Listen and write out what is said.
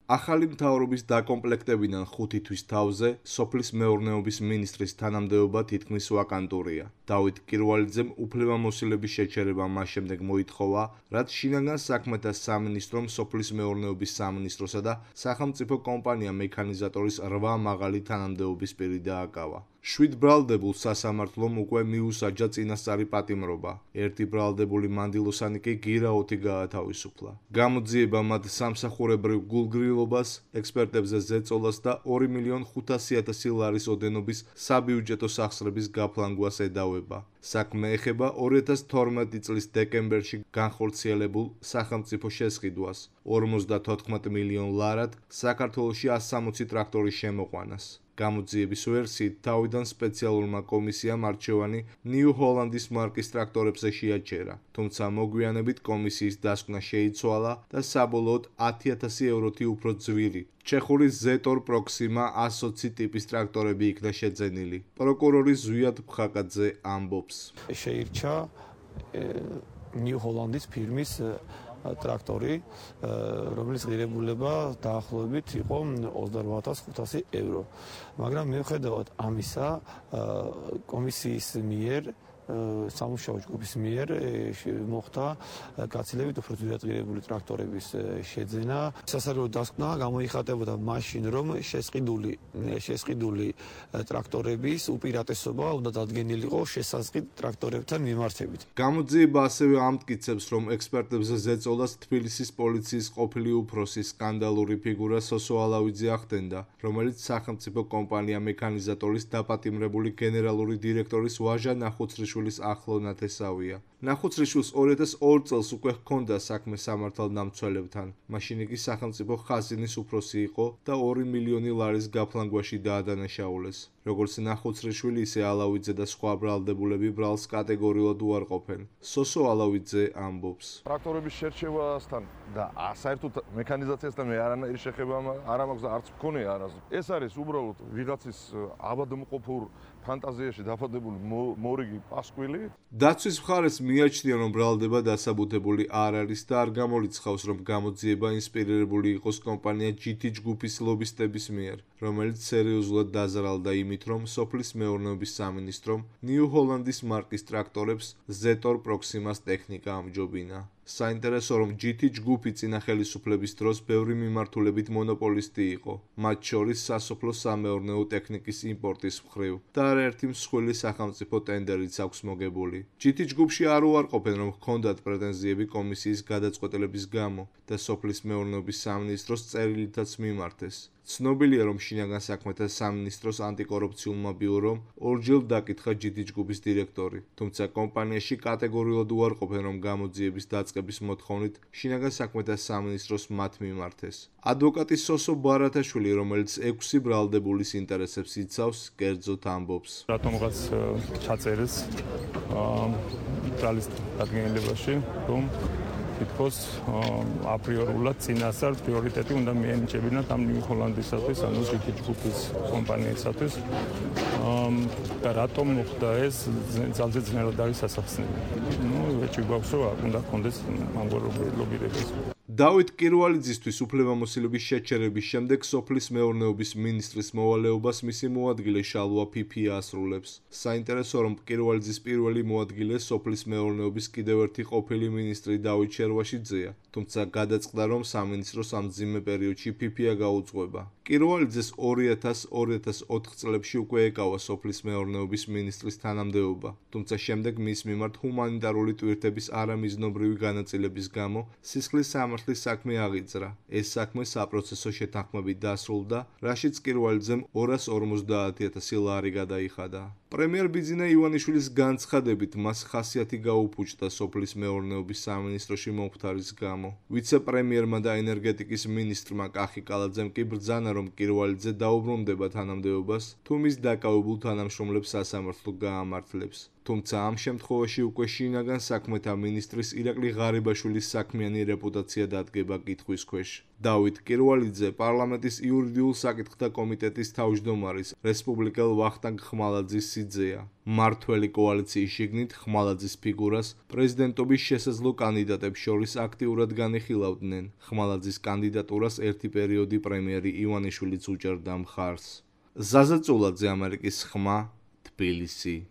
ახალი მთავრობის დაკომპლექტებიდან 5 თვის თავზე სოფლის მეურნეობის მინისტრის თანამდებობა თითქმის ვაკანტურია. დავით კირვალიძემ უფლებამოსილების შეჩერება მას შემდეგ მოითხოვა, რაც შინაგან საქმეთა სამინისტრომ სოფლის მეურნეობის სამინისტროსა და სახელმწიფო კომპანია მექანიზატორის 8 მაღალი თანამდებობის პირი დააკავა. 7 ბრალდებულ სასამართლომ უკვე მიუსაჯა წინასწარი პატიმრობა. ერთი ბრალდებული მანდილოსანი კი გირაოთი გაათავისუფლა. გამოძიება მათ სამსახურებრივ გულგრილობას, ექსპერტებზე ზეწოლას და 2.500.000 ლარის ოდენობის საბიუჯეტო სახსრების გაფლანგვას ედავება. საქმე ეხება 2012 წლის დეკემბერში განხორციელებულ სახელმწიფო შესყიდვას, 54 მილიონ ლარად საქართველოში 160 ტრაქტორის შემოყვანას. გამოძიების ვერსიით თავიდან სპეციალურმა კომისიამ არჩევანი ნიუ ჰოლანდის მარკის ტრაქტორებზე შეაჩერა, თუმცა მოგვიანებით კომისიის დასკვნა შეიცვალა და საბოლოოდ 10.000 ევროთი უფრო ძვირი ჩეხური ზეტორ პროქსიმა 120 ტიპის ტრაქტორები იქნა შეძენილი. პროკურორი ზვიად ფხაკაძე ამბობს. შეირჩა ნიუ ჰოლანდის ფირმის ტრაქტორი, რომლის ღირებულება დაახლოებით იყო 28.500 евро. მაგრამ მიუხედავად ამისა, კომისიის მიერ სამუშაო ჯგუფის მიერ მოხდა გაცილებით უფრო ძვირადღირებული ტრაქტორების შეძენა. სასარგებლო დასკვნა გამოიხატებოდა მაშინ, რომ შესყიდული ტრაქტორების უპირატესობა უნდა დადგენილიყო შესაზღვრით ტრაქტორებთან მიმართებით. გამოძიება ასევე ამტკიცებს, რომ ექსპერტებზე ზეწოლას თბილისის პოლიციის ყოფილი უფროსი სკანდალური ფიგურა სოსო ალავიძე ახდენდა, რომელიც სახელმწიფო კომპანია მექანიზატორის დაპატიმრებული გენერალური დირექტორის ვაჟა ნახუცრიშვილის ახლო ნათესავია. ნახუცრიშვილს 2002 წელს უკვე ჰქონდა საქმე სამართალდამცველებთან. მაშინ იგი სახელმწიფო ხაზინის უფროსი იყო და 2 მილიონი ლარის გაფლანგვაში დაადანაშაულეს. როგორც ნახუცრიშვილი, ისე ალავიძე და სხვა ბრალდებულები ბრალს კატეგორიულად უარყოფენ. სოსო ალავიძე ამბობს. ტრაქტორების შერჩევასთან და საერთოდ მექანიზაციასთან მე არანაირი შეხება არ მაქვს და არც მქონია არასდროს. ეს არის უბრალოდ ვიღაცის აბადმყოფურ ფანტაზიაში დაფადებული მორიგი პასკვილი. დაცვის მხარეს მიაჩნია, რომ ბრალდება დასაბუთებული არ არის და არ გამორიცხავს, რომ გამოძიება ინსპირირებული იყოს კომპანია GT ჯგუფის ლობისტების მიერ, რომელიც სერიოზულად დაზარალდა იმით, რომ სოფლის მეურნეობის სამინისტრომ ნიუ ჰოლანდის მარკის ტრაქტორებს ზეტორ პროქსიმას ტექნიკა ამჯობინა. საინტერესო, რომ GT ჯგუფი წინა ხელისუფლების დროს ბევრი მიმართულებით მონოპოლისტი იყო, მათ შორის სასოფლო სამეურნეო ტექნიკის იმპორტის მხრივ და არაერთი მსხვილი სახელმწიფო ტენდერიც აქვს მოგებული. GT ჯგუფში არ უარყოფენ, რომ ჰქონდათ პრეტენზიები კომისიის გადაწყვეტილების გამო და სოფლის მეურნეობის სამინისტროს წერილითაც მიმართეს. ცნობილია, რომ შინაგან საქმეთა სამინისტროს ანტიკორუფციულმა ბიურომ ორჯერ დაკითხა GT ჯგუფის დირექტორი, თუმცა კომპანიაში კატეგორიულად უარყოფენ, რომ გამოძიების დაწყების მოთხოვნით შინაგან საქმეთა სამინისტროს მათ მიმართეს. ადვოკატი სოსო ბარათაშვილი, რომელიც 6 ბრალდებულის ინტერესებს იცავს, კერძოდ ამბობს. რატომღაც ჩაწერეს ბრალის დადგენილებაში, რომ თითქოს აპრიორულად წინასწარ პრიორიტეტი უნდა მიენიჭებინათ ამ ნიუ ჰოლანდისათვის, ანუ GT ჯგუფის კომპანიისათვის. და რატომ მოხდა ეს, ძალზე ძნელად არის ასახსნელი. ეჭვი გვაქვს, რომ უნდა გქონდეს ამგვარული ლობირების. დავით კირვალიძისთვის უფლებამოსილების შეჩერების შემდეგ სოფლის მეურნეობის მინისტრის მოვალეობას მისი მოადგილე შალვა ფიფია ასრულებს. საინტერესო, რომ კირვალიძის პირველი მოადგილე სოფლის მეურნეობის კიდევ ერთი ყოფილი მინისტრი დავით შერვაშიძეა, თუმცა გადაწყდა, რომ სამინისტროს ამ მძიმე პერიოდში ფიფია გაუძღვება. კირვალიძეს 2000-2004 წლებში უკვე ეკავა სოფლის მეურნეობის მინისტრის თანამდებობა, თუმცა შემდეგ მის მიმართ ჰუმანიტარული ტვირთების არამიზნობრივი განაწილების გამო სისხლის სამართლის საქმე აღიძრა. ეს საქმე საპროცესო შეთანხმებით დასრულდა, რაშიც კირვალიძემ 250.000 ლარი გადაიხადა. პრემიერ ბიძინა ივანიშვილის განცხადებით, მას ხასიათი გაუფუჭდა სოფლის მეურნეობის სამინისტროში მომხდარის გამო. ვიცე-პრემიერმა და ენერგეტიკის მინისტრმა კახი კალაძემ კი ბრძანა, რომ კირვალიძე დაუბრუნდება თანამდებობას, თუ მის დაკავებულ თანამშრომლებს სასამართლო გაამართლებს. თუმცა ამ შემთხვევაში უკვე შინაგან საქმეთა მინისტრის ირაკლი ღარიბაშვილის საქმიანი რეპუტაცია დადგება კითხვის ქვეშ. დავით კირვალიძე პარლამენტის იურიდიულ საკითხთა კომიტეტის თავმჯდომარის რესპუბლიკელ ვახტანგ ხმალაძის სიძეა. მმართველი კოალიციის შიგნით ხმალაძის ფიგურას პრეზიდენტობის შესაძლო კანდიდატებს შორის აქტიურად განიხილავდნენ. ხმალაძის კანდიდატურას ერთი პერიოდი პრემიერი ივანიშვილიც უჭერდა მხარს. ზაზა წულაძე, ამერიკის ხმა, თბილისი.